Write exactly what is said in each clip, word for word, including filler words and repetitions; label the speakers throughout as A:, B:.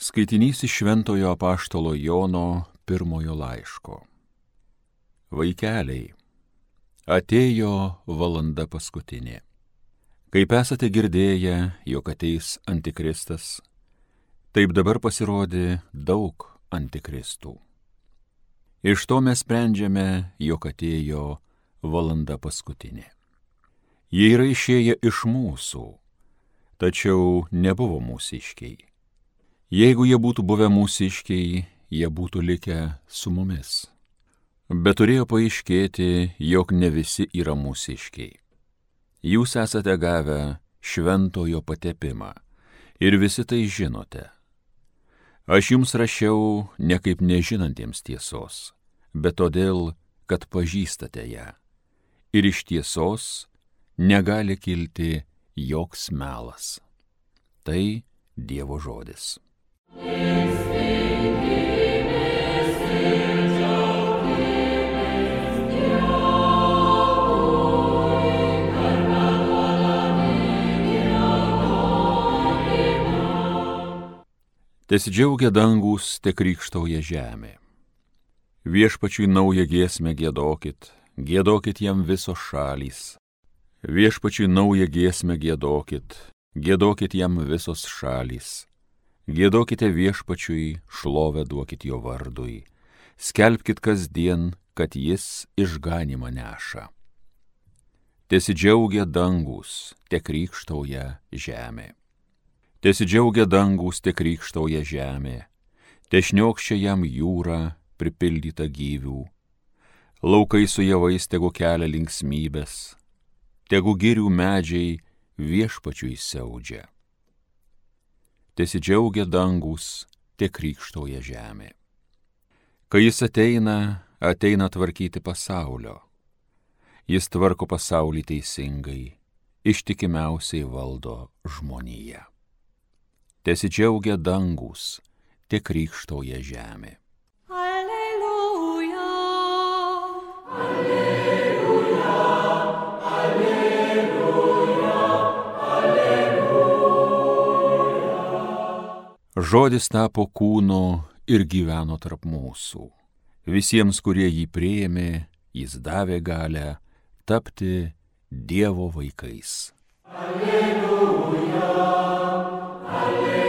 A: Skaitinys iš Šventojo apaštalo Jono pirmojo laiško. Vaikeliai, atėjo valanda paskutinė. Kaip esate girdėję, jog ateis antikristas, taip dabar pasirodė daug antikristų. Iš to mes sprendžiame, jog atėjo valanda paskutinė. Jie yra išėję iš mūsų, tačiau nebuvo mūsiškiai. Jeigu jie būtų buvę mūsiškiai, jie būtų likę su mumis. Bet turėjo paaiškėti, jog ne visi yra mūsiškiai. Jūs esate gavę šventojo patepimą ir visi tai žinote. Aš jums rašiau ne kaip nežinantiems tiesos, bet todėl, kad pažįstate ją. Ir iš tiesos negali kilti joks melas. Tai Dievo žodis. Tesidžiaugia dangus, te krykštauja žemė. Viešpačiui naują giesmę giedokit, giedokit jam visos šalys. Viešpačiui naują giesmę giedokit, giedokit jam visos šalys. Giedokite viešpačiui, šlovę duokit jo vardui. Skelbkit kasdien, kad jis išganymą neša. Tesidžiaugia dangus, te krykštauja žemė. Tesidžiaugia dangus, te krykštauja žemė. Tešniokščia jam jūra, pripildyta gyvių. Laukai su javais tegu kelia linksmybės. Tegu girių medžiai viešpačiui siaudžia. Tesidžiaugia dangus, te krykštauja žemė. Kai jis ateina, ateina tvarkyti pasaulio. Jis tvarko pasaulį teisingai, ištikimiausiai valdo žmoniją. Tesidžiaugia dangus, te krykštauja žemė.
B: Alleluja, alleluja, alleluja, alleluja.
A: Žodis tapo kūnu ir gyveno tarp mūsų. Visiems, kurie jį priėmė, jis davė galią tapti Dievo vaikais.
B: Alleluja, alleluja, alleluja, alleluja.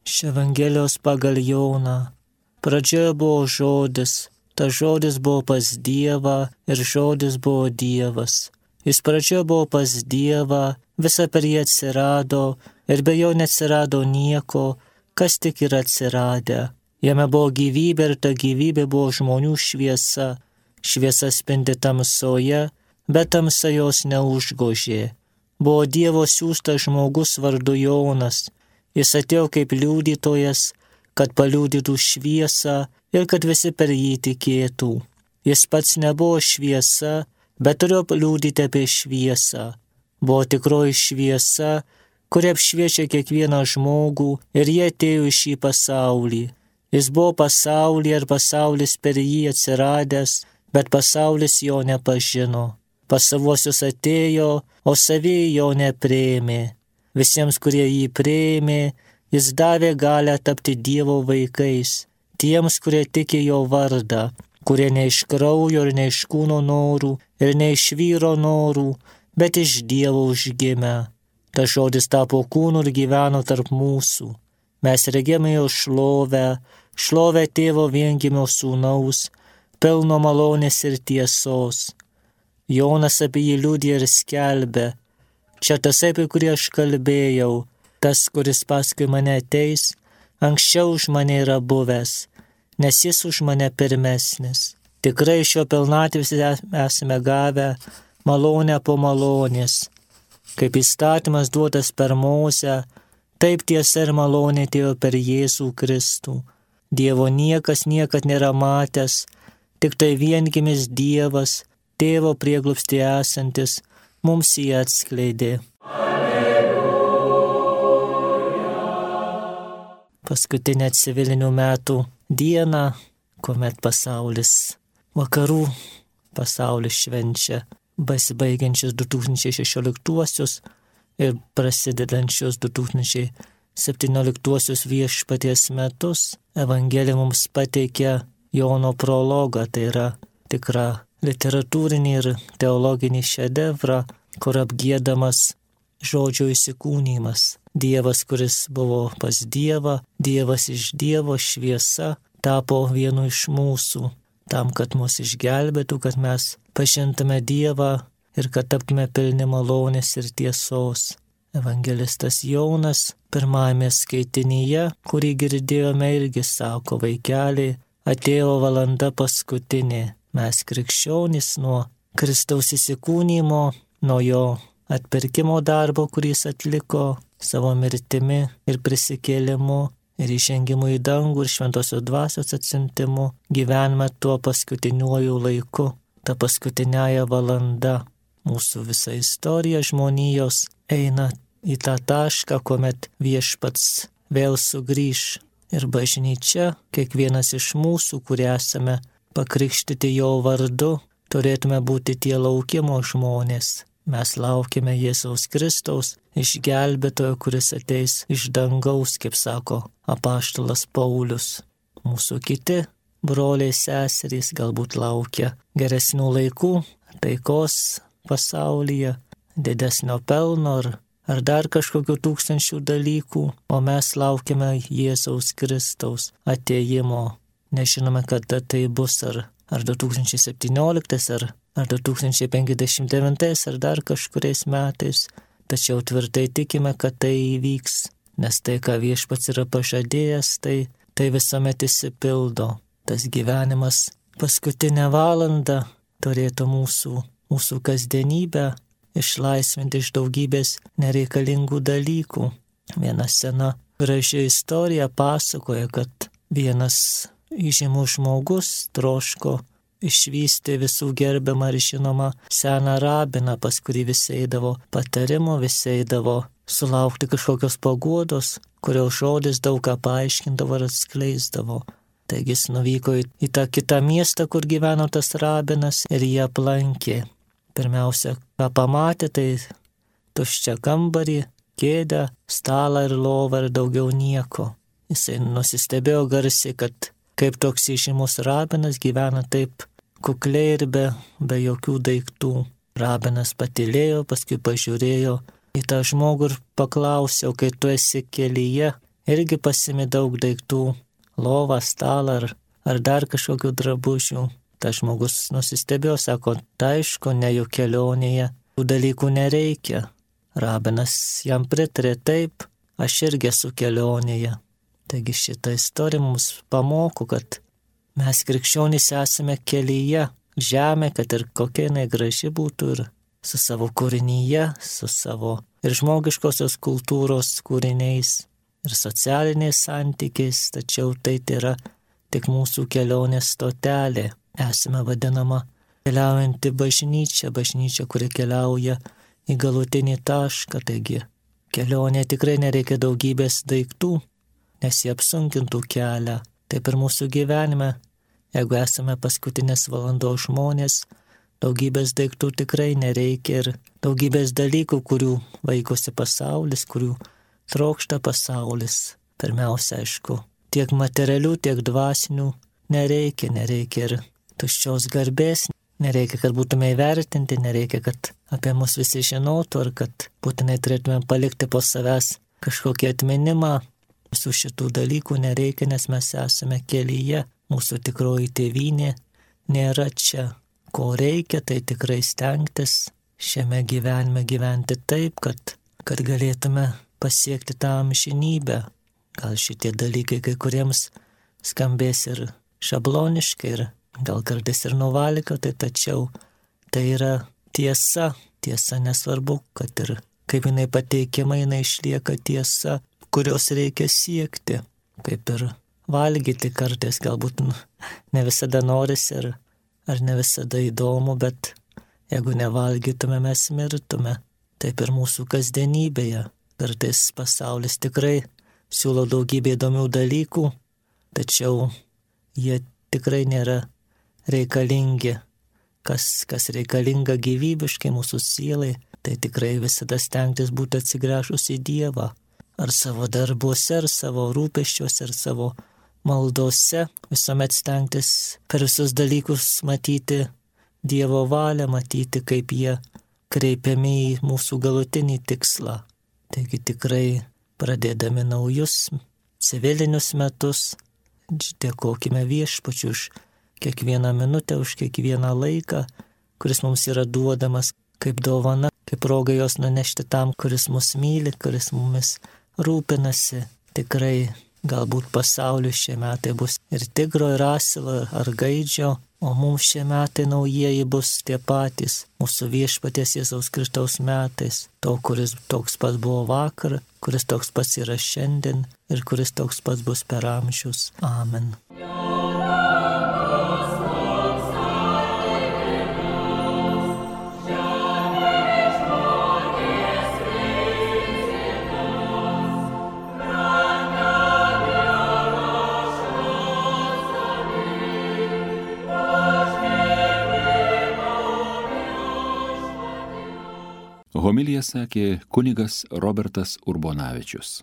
C: Iš Evangelijos pagal Joną. Pradžioje buvo žodis. Ta žodis buvo pas Dievą ir žodis buvo Dievas. Jis pradžioje buvo pas Dievą, visa per jį atsirado ir be jo neatsirado nieko, kas tik yra atsiradę. Jame buvo gyvybė ir ta gyvybė buvo žmonių šviesa. Šviesa spindi tamsoje, bet tamsa jos neužgožė. Buvo Dievo siųstas žmogus vardu Jonas. Jis atėjo kaip liudytojas, kad paliudytų šviesą ir kad visi per jį tikėtų. Jis pats nebuvo šviesa, bet turėjo liudyti apie šviesą. Buvo tikroji šviesa, kuri apšviečia kiekvieną žmogų ir jie atėjo į šį pasaulį. Jis buvo pasaulyje ir pasaulis per jį atsiradęs, bet pasaulis jo nepažino. Pas savuosius atėjo, o savieji jo nepriėmė. Visiems, kurie jį priėmė, jis davė galią tapti Dievo vaikais. Tiems, kurie tiki jo vardą, kurie ne iš kraujo ir ne iš kūno norų ir ne iš vyro norų, bet iš Dievo užgimę. Ta žodis tapo kūnu ir gyveno tarp mūsų. Mes regėjome jo šlovę, šlovę tėvo viengimio sūnaus, pilno malonės ir tiesos. Jonas apie jį liudija ir skelbė. Čia tas, apie kurį aš kalbėjau, tas, kuris paskui mane ateis, anksčiau už mane yra buvęs, nes jis už mane pirmesnis. Tikrai iš jo pilnatvės esame gavę malonę po malonės. Kaip įstatymas duotas per Mozę, taip tiesa ir malonė atėjo per Jėzų Kristų. Dievo niekas niekad nėra matęs, tik tai viengimis Dievas, tėvo prieglobstyje esantis, mums jį atskleidė. Paskutinę civilinių metų dieną, kuomet pasaulis vakarų pasaulis švenčia besibaigiančius du tūkstančiai šešioliktuosius ir prasidedančius du tūkstančiai septynioliktuosius viešpaties metus. Evangelija mums pateikia Jono prologą, tai yra tikra literatūrinį ir teologinį šedevrą, kur apgiedamas žodžio įsikūnymas. Dievas, kuris buvo pas Dievą, Dievas iš Dievo, šviesa, tapo vienu iš mūsų, tam, kad mus išgelbėtų, kad mes pažintume Dievą ir kad taptume pilni malonės ir tiesos. Evangelistas Jonas pirmajame skaitinyje, kurį girdėjome, irgi sako: vaikeliai, atėjo valanda paskutinė. Mes krikščionys nuo Kristaus įsikūnymo, nuo jo atpirkimo darbo, kurį jis atliko savo mirtimi ir prisikėlimu ir įžengimu į dangų ir šventosios dvasios atsiuntimu, gyvename tuo paskutiniuoju laiku, ta paskutinėja valanda. Mūsų visa istorija žmonijos eina į tą tašką, kuomet viešpats vėl sugrįš. Ir bažnyčia, kiekvienas iš mūsų, kurie esame pakrikštyti jo vardu, turėtume būti tie laukimo žmonės. Mes laukime Jėzaus Kristaus, išgelbėtojo, kuris ateis iš dangaus, kaip sako apaštalas Paulius. Mūsų kiti broliai seserys galbūt laukia geresnių laikų, taikos pasaulyje, didesnio pelno ar, ar dar kažkokių tūkstančių dalykų, o mes laukime Jėzaus Kristaus atėjimo. Nežinome, kada tai bus, ar, ar du tūkstančiai septynioliktais, ar, ar du tūkstančiai penkiasdešimt devintais, ar dar kažkuriais metais, tačiau tvirtai tikime, kad tai įvyks, nes tai, ką viešpats yra pažadėjęs, tai, tai visuomet išsipildo. Tas gyvenimas paskutinę valandą turėtų mūsų, mūsų kasdienybę išlaisvinti iš daugybės nereikalingų dalykų. Viena sena graži istorija pasakoja, kad vienas įžymus žmogus troško išvysti visų gerbiamą ir žinomą seną rabiną, pas kurį visi eidavo patarimo, visi eidavo sulaukti kažkokios paguodos, kurios žodis daug ką paaiškindavo ir atskleisdavo. Taigi jis nuvyko į, į tą kitą miestą, kur gyveno tas rabinas, ir jį aplankė. Pirmiausia, ką pamatė, tai tuščią kambarį, kėdę, stalą ir lovą ir daugiau nieko. Jisai nusistebėjo garsiai, kad kaip toks įžymus rabinas gyvena taip kukliai ir be, be jokių daiktų. Rabinas patylėjo, paskui pažiūrėjo į tą žmogų ir paklausė: o kai tu esi kelyje, irgi pasimi daug daiktų, lovą, stalą ar, ar dar kažkokių drabužių? Tas žmogus nusistebėjo, sako: tai aišku, ne jų kelionėje, tų dalykų nereikia. Rabinas jam pritarė: taip, aš irgi esu kelionėje. Taigi šitą istoriją mums pamoko, kad mes krikščionys esame kelyje, žemė, kad ir kokia jinai graži būtų, ir su savo kūrinyje, su savo ir žmogiškosios kultūros kūriniais, ir socialiniais santykiais, tačiau tai yra tik mūsų kelionės stotelė. Esame vadinama keliaujanti bažnyčia, bažnyčia, kuri keliauja į galutinį tašką. Taigi kelionė tikrai nereikia daugybės daiktų, nes jie apsunkintų kelią. Taip ir mūsų gyvenime, jeigu esame paskutinės valandos žmonės, daugybės daiktų tikrai nereikia, ir daugybės dalykų, kurių vaikosi pasaulis, kurių trokšta pasaulis. Pirmiausia, aišku, tiek materialių, tiek dvasinių nereikia, nereikia ir tuščios garbės, nereikia, kad būtume įvertinti, nereikia, kad apie mus visi žinotų, ar kad būtinai turėtume palikti po savęs kažkokį atminimą. Visų šitų dalykų nereikia, nes mes esame kelyje, mūsų tikroji tėvynė nėra čia. Ko reikia, tai tikrai stengtis šiame gyvenime gyventi taip, kad, kad galėtume pasiekti tą amžinybę. Gal šitie dalykai kai kuriems skambės ir šabloniškai, ir gal kartais ir nuvalkiotai, tačiau tai yra tiesa. Tiesa nesvarbu, kad ir kaip jinai pateikiama, jinai išlieka tiesa, kurios reikia siekti. Kaip ir valgyti kartais, galbūt ne visada norisi ir ar ne visada įdomu, bet jeigu nevalgytume, mes mirtume. Taip ir mūsų kasdienybėje. Kartais pasaulis tikrai siūlo daugybę įdomių dalykų, tačiau jie tikrai nėra reikalingi kas, kas reikalinga gyvybiškai mūsų sielai, tai tikrai visada stengtis būti atsigręžus į Dievą. Ar savo darbuose, ar savo rūpeščiuose, ar savo maldose, visuomet stengtis per visus dalykus matyti Dievo valią, matyti, kaip jie kreipiami į mūsų galutinį tikslą. Taigi tikrai pradėdami naujus civilinius metus, dėkokime Viešpačiui už kiekvieną minutę, už kiekvieną laiką, kuris mums yra duodamas kaip dovana, kaip proga jos nunešti tam, kuris mus myli, kuris mumis rūpinasi. Tikrai galbūt pasauliui šie metai bus ir tigro, ir asilo, ar gaidžio, o mums šie metai naujieji bus tie patys, mūsų Viešpaties Jėzaus Kristaus metais, to, kuris toks pats buvo vakar, kuris toks pats yra šiandien ir kuris toks pats bus per amžius. Amen.
A: Homiliją sakė kunigas Robertas Urbonavičius.